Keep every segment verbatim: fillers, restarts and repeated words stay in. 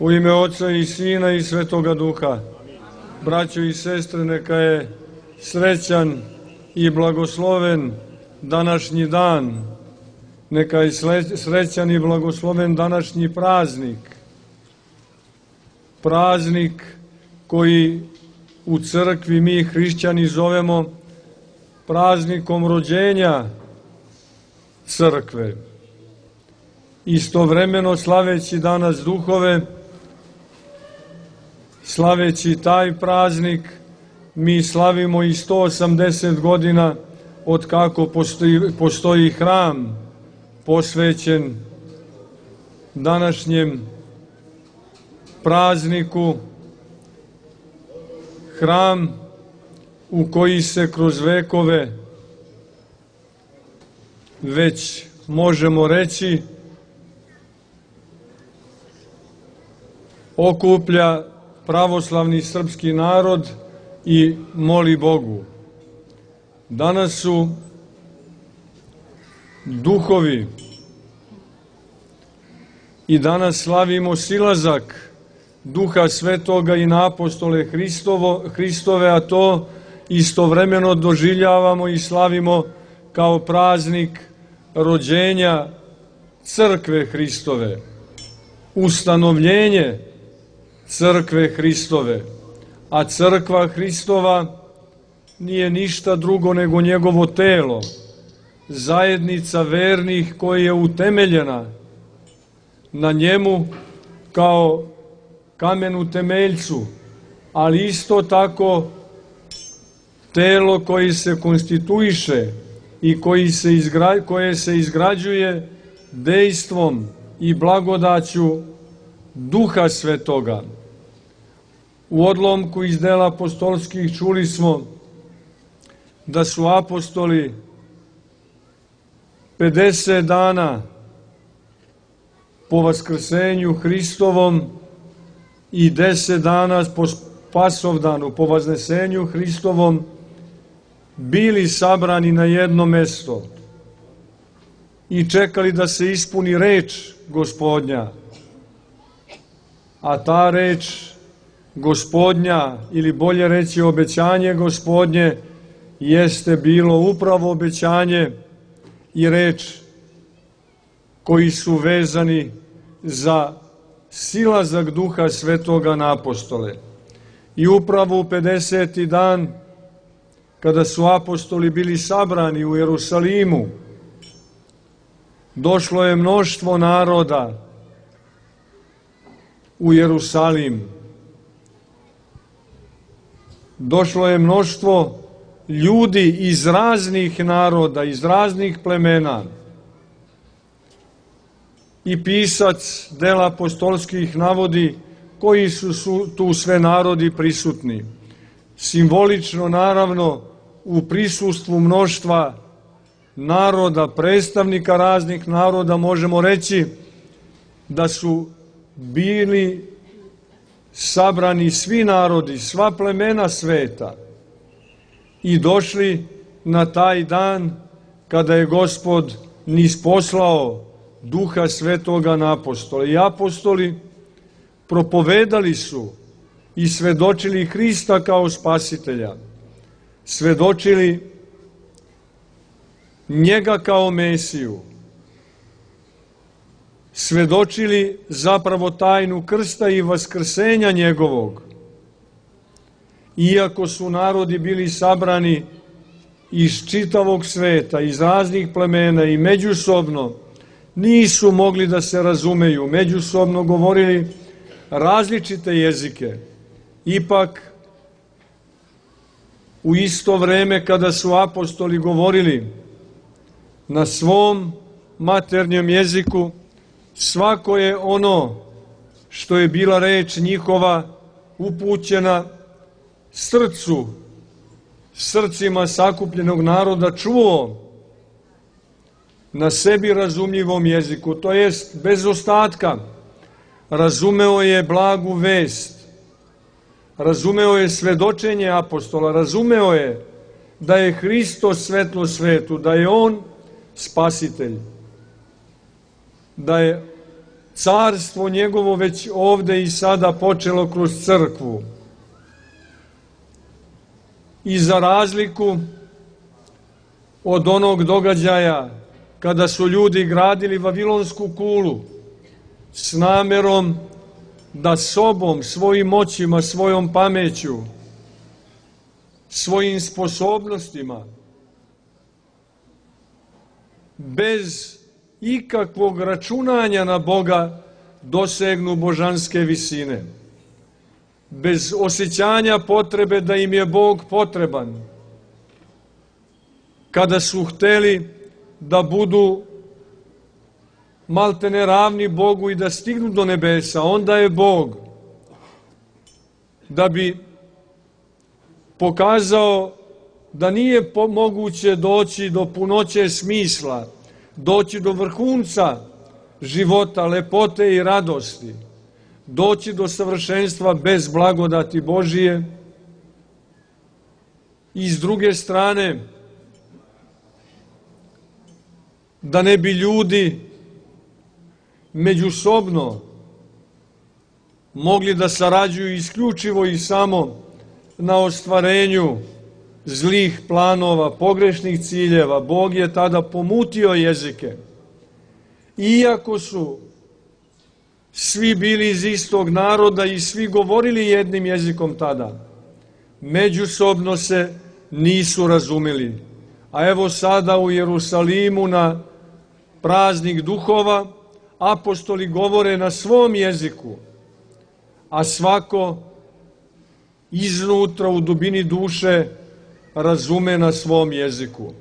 U ime Oca i Sina i Svetoga Duha. Braćo i sestre, neka je srećan i blagosloven današnji dan. Neka je srećan i blagosloven današnji praznik. Praznik koji u crkvi mi hrišćani zovemo praznikom rođenja crkve. Istovremeno slaveći danas duhove, slaveći taj praznik, mi slavimo i sto osamdeset godina od kako postoji, postoji hram posvećen današnjem prazniku, hram u koji se kroz vekove već možemo reći okuplja pravoslavni srpski narod i moli Bogu. Danas su duhovi i danas slavimo silazak Duha Svetoga i na apostole Hristovo, Hristove, a to istovremeno doživljavamo i slavimo kao praznik rođenja crkve Hristove, ustanovljenje crkve Hristove, a crkva Hristova nije ništa drugo nego njegovo telo, zajednica vernih koja je utemeljena na njemu kao kamenu temeljcu, ali isto tako telo koje se konstituiše i koji se izgra, koje se izgrađuje dejstvom i blagodaću Duha Svetoga. U odlomku iz dela apostolskih čuli smo da su apostoli pedeset dana po vaskrsenju Hristovom i deset dana po Spasovdanu, po vaznesenju Hristovom, bili sabrani na jedno mesto i čekali da se ispuni reč Gospodnja. A ta reč Gospodnja, ili bolje reći obećanje Gospodnje, jeste bilo upravo obećanje i reč koji su vezani za silazak Duha Svetoga na apostole. I upravo u pedeseti dan, kada su apostoli bili sabrani u Jerusalimu, došlo je mnoštvo naroda u Jerusalim. Došlo je mnoštvo ljudi iz raznih naroda, iz raznih plemena. I pisac dela apostolskih navodi koji su, su tu sve narodi prisutni. Simbolično, naravno, u prisustvu mnoštva naroda, predstavnika raznih naroda, možemo reći da su bili sabrani svi narodi, sva plemena sveta i došli na taj dan kada je Gospod nisposlao Duha Svetoga na apostole. I apostoli propovedali su i svedočili Hrista kao Spasitelja, svedočili njega kao Mesiju, svedočili zapravo tajnu krsta i vaskrsenja njegovog. Iako su narodi bili sabrani iz čitavog sveta, iz raznih plemena i međusobno nisu mogli da se razumeju, međusobno govorili različite jezike, ipak u isto vreme kada su apostoli govorili na svom maternjem jeziku, svako je ono što je bila reč njihova upućena srcu, srcima sakupljenog naroda čuo na sebi razumljivom jeziku, to jest bez ostatka. Razumeo je blagu vest, razumeo je svedočenje apostola, razumeo je da je Hristos svetlo svetu, da je On spasitelj, da je carstvo njegovo već ovde i sada počelo kroz crkvu. I za razliku od onog događaja kada su ljudi gradili Vavilonsku kulu s namerom da sobom, svojim moćima, svojom pameću, svojim sposobnostima, bez ikakvog računanja na Boga dosegnu božanske visine, bez osjećanja potrebe da im je Bog potreban. Kada su hteli da budu maltene ravni Bogu i da stignu do nebesa, onda je Bog, da bi pokazao da nije moguće doći do punoće smisla, doći do vrhunca života, lepote i radosti, doći do savršenstva bez blagodati Božije. I s druge strane, da ne bi ljudi međusobno mogli da sarađuju isključivo i samo na ostvarenju zlih planova, pogrešnih ciljeva. Bog je tada pomutio jezike. Iako su svi bili iz istog naroda i svi govorili jednim jezikom tada, međusobno se nisu razumeli. A evo sada u Jerusalimu na praznik duhova apostoli govore na svom jeziku, a svako iznutra u dubini duše razume na svom jeziku.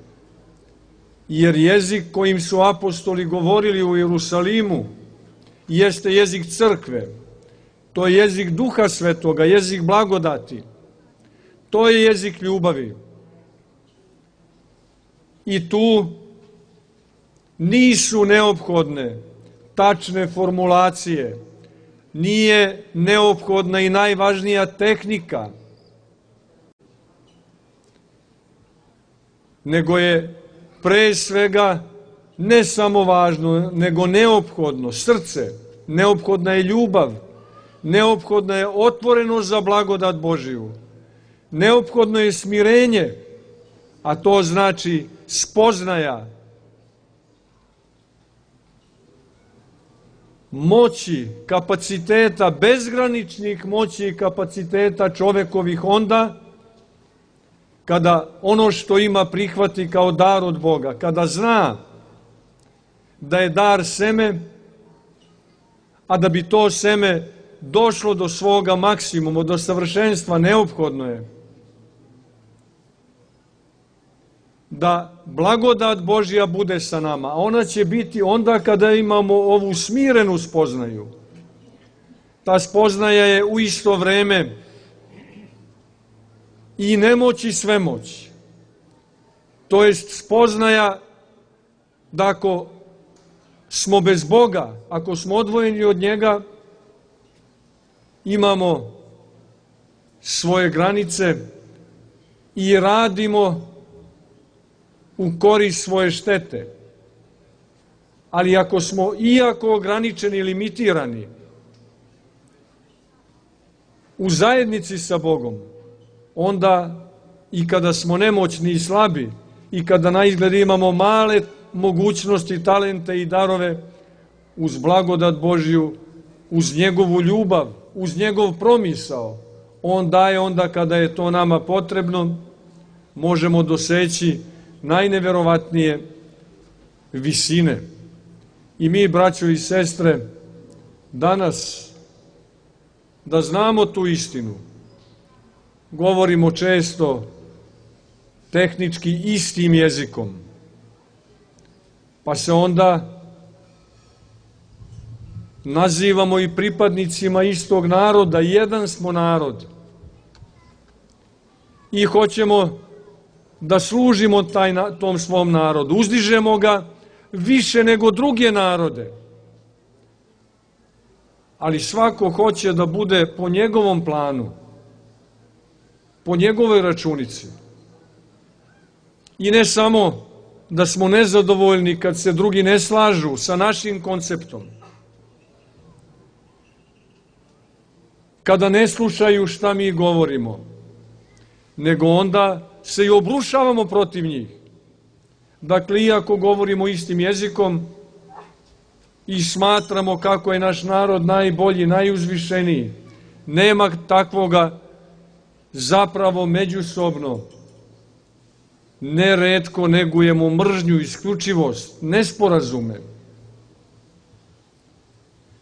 Jer jezik kojim su apostoli govorili u Jerusalimu jeste jezik crkve. To je jezik Duha Svetoga, jezik blagodati. To je jezik ljubavi. I tu nisu neophodne tačne formulacije, nije neophodna i najvažnija tehnika, nego je pre svega ne samo važno, nego neophodno srce, neophodna je ljubav, neophodna je otvorenost za blagodat Božiju, neophodno je smirenje, a to znači spoznaja moći, kapaciteta, bezgraničnih moći i kapaciteta čovekovih onda, kada ono što ima prihvati kao dar od Boga, kada zna da je dar seme, a da bi to seme došlo do svoga maksimuma, do savršenstva, neophodno je da blagodat Božja bude sa nama. A ona će biti onda kada imamo ovu smirenu spoznaju. Ta spoznaja je u isto vreme i nemoć i svemoć. To jest spoznaja da ako smo bez Boga, ako smo odvojeni od njega, imamo svoje granice i radimo u korist svoje štete. Ali ako smo iako ograničeni i limitirani u zajednici sa Bogom, onda i kada smo nemoćni i slabi i kada na izgled imamo male mogućnosti, talente i darove, uz blagodat Božju, uz njegovu ljubav, uz njegov promisao, on daje onda kada je to nama potrebno, možemo doseći najneverovatnije visine. I mi, braćo i sestre, danas, da znamo tu istinu, govorimo često tehnički istim jezikom, pa se onda nazivamo i pripadnicima istog naroda, jedan smo narod i hoćemo da služimo taj, tom svom narodu, uzdižemo ga više nego druge narode, ali svako hoće da bude po njegovom planu, po njegovoj računici. I ne samo da smo nezadovoljni kad se drugi ne slažu sa našim konceptom, kada ne slušaju šta mi govorimo, nego onda se i obrušavamo protiv njih. Dakle, iako govorimo istim jezikom i smatramo kako je naš narod najbolji, najuzvišeniji, nema takvoga, zapravo međusobno neretko negujemo mržnju, isključivost, nesporazume,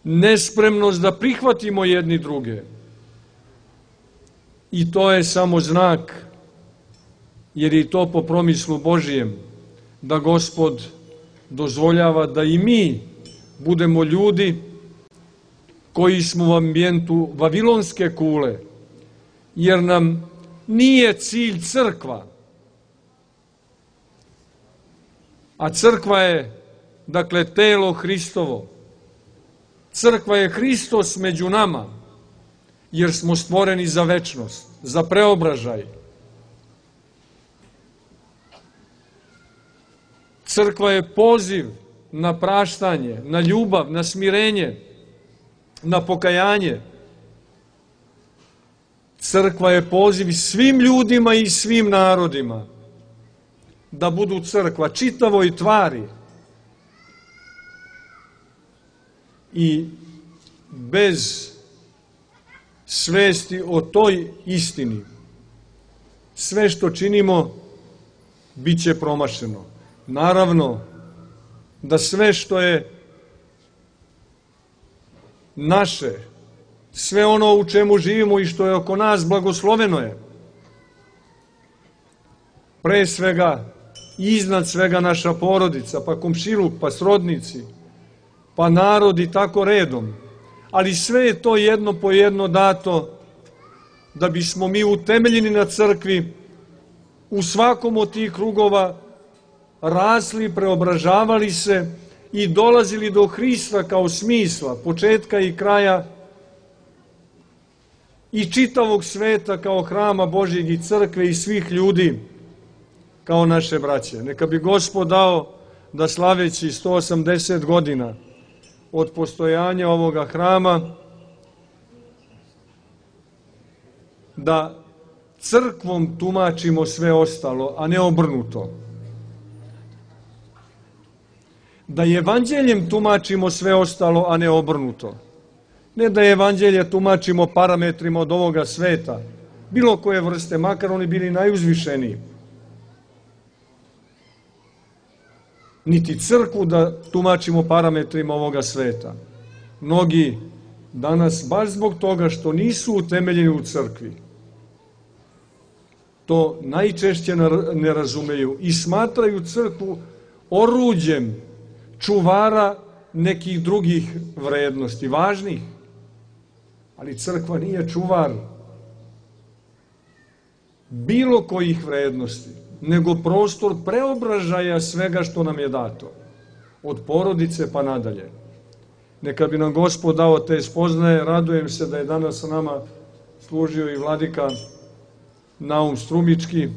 nespremnost da prihvatimo jedni druge. I to je samo znak, jer je to po promislu Božijem, da Gospod dozvoljava da i mi budemo ljudi koji smo u ambijentu vavilonske kule, jer nam nije cilj crkva, a crkva je, dakle, telo Hristovo. Crkva je Hristos među nama, jer smo stvoreni za večnost, za preobražaj. Crkva je poziv na praštanje, na ljubav, na smirenje, na pokajanje. Crkva je poziv svim ljudima i svim narodima da budu crkva, čitavoj tvari. I bez svesti o toj istini, sve što činimo bit će promašeno. Naravno da sve što je naše, sve ono u čemu živimo i što je oko nas, blagosloveno je. Pre svega, iznad svega naša porodica, pa komšiluk, pa srodnici, pa narod i tako redom. Ali sve je to jedno po jedno dato da bismo mi utemeljeni na crkvi u svakom od tih krugova rasli, preobražavali se i dolazili do Hrista kao smisla, početka i kraja i čitavog sveta kao hrama Božjeg i crkve i svih ljudi kao naše braće. Neka bi Gospod dao da slaveći sto osamdeset godina od postojanja ovoga hrama, da crkvom tumačimo sve ostalo, a ne obrnuto. Da evanđeljem tumačimo sve ostalo, a ne obrnuto. Ne da evanđelje tumačimo parametrima od ovoga sveta, bilo koje vrste, makar oni bili najuzvišeniji. Niti crkvu da tumačimo parametrima ovoga sveta. Mnogi danas, baš zbog toga što nisu utemeljeni u crkvi, to najčešće ne razumeju i smatraju crkvu oruđem čuvara nekih drugih vrednosti, važnih. Ali crkva nije čuvar bilo kojih vrednosti, nego prostor preobražaja svega što nam je dato, od porodice pa nadalje. Neka bi nam Gospod dao te spoznaje. Radujem se da je danas sa nama služio i vladika Naum Strumički,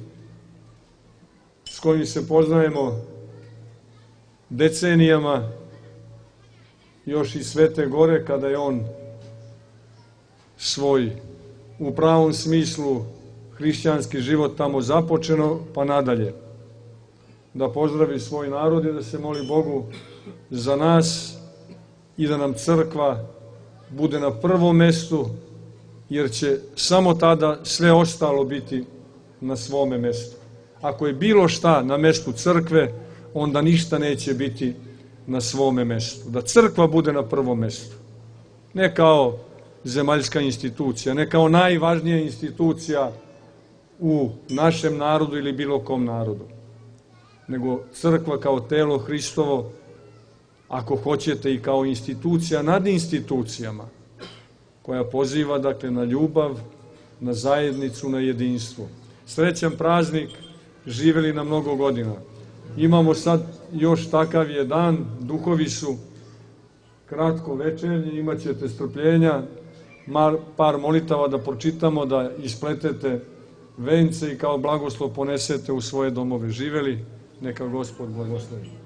s kojim se poznajemo decenijama, još i Svete Gore, kada je on svoj, u pravom smislu, hrišćanski život tamo započeno, pa nadalje. Da pozdravi svoj narod i da se moli Bogu za nas i da nam crkva bude na prvom mestu, jer će samo tada sve ostalo biti na svome mestu. Ako je bilo šta na mestu crkve, onda ništa neće biti na svome mestu. Da crkva bude na prvom mestu. Ne kao zemaljska institucija, ne kao najvažnija institucija u našem narodu ili bilo kom narodu, nego crkva kao telo Hristovo, ako hoćete i kao institucija nad institucijama, koja poziva, dakle, na ljubav, na zajednicu, na jedinstvo. Srećan praznik, živeli na mnogo godina. Imamo sad još takav je dan, duhovi su kratko večernji, imat ćete strpljenja, par molitava da pročitamo, da ispletete vence i kao blagoslov ponesete u svoje domove. Živeli, neka Gospod blagoslovi.